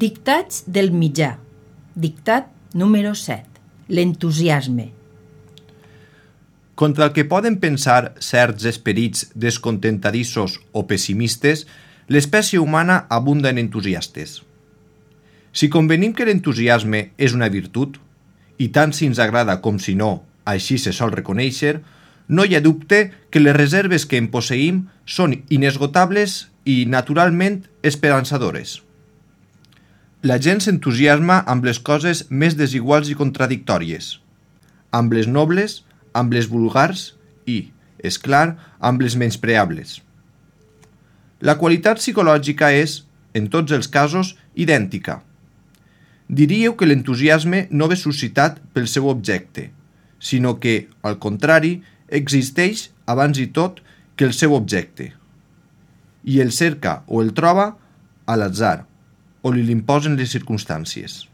Dictats del mitjà. Dictat número 7. L'entusiasme. Contra el que poden pensar certs esperits descontentadissos o pessimistes, l'espècie humana abunda en entusiastes. Si convenim que l'entusiasme és una virtut, i tant si ens agrada com si no, així se sol reconèixer, no hi ha dubte que les reserves que en posseïm són inesgotables i naturalment esperançadores. La gent s'entusiasma amb les coses més desiguals i contradictòries, amb les nobles, amb les vulgars i, és clar, amb les menyspreables. La qualitat psicològica és, en tots els casos, idèntica. Diríeu que l'entusiasme no ve suscitat pel seu objecte, sinó que, al contrari, existeix abans i tot que el seu objecte, i el cerca o el troba a l'atzar, o li l'imposen les circumstàncies.